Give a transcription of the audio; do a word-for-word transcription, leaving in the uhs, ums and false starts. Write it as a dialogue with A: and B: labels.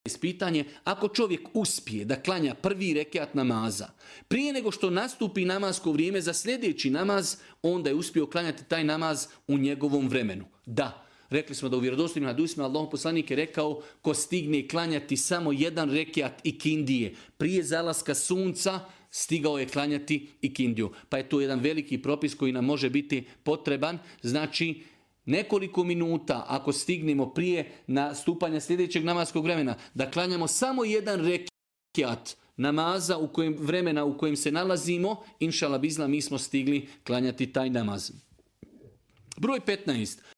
A: ispitanje, ako čovjek uspije da klanja prvi rekiat namaza, prije nego što nastupi namasko vrijeme za sljedeći namaz, onda je uspio klanjati taj namaz u njegovom vremenu. Da, rekli smo da u vjerodostojnim hadisima Allahov poslanik je rekao, ko stigne klanjati samo jedan rekiat ikindije prije zalaska sunca, stigao je klanjati ikindiju. Pa je to jedan veliki propis koji nam može biti potreban. Znači, nekoliko minuta, ako stignemo prije nastupanja sljedećeg namaskog vremena, da klanjamo samo jedan rekiat namaza u kojem, vremena u kojem se nalazimo, inšala bizla, mi smo stigli klanjati taj namaz. Broj petnaest.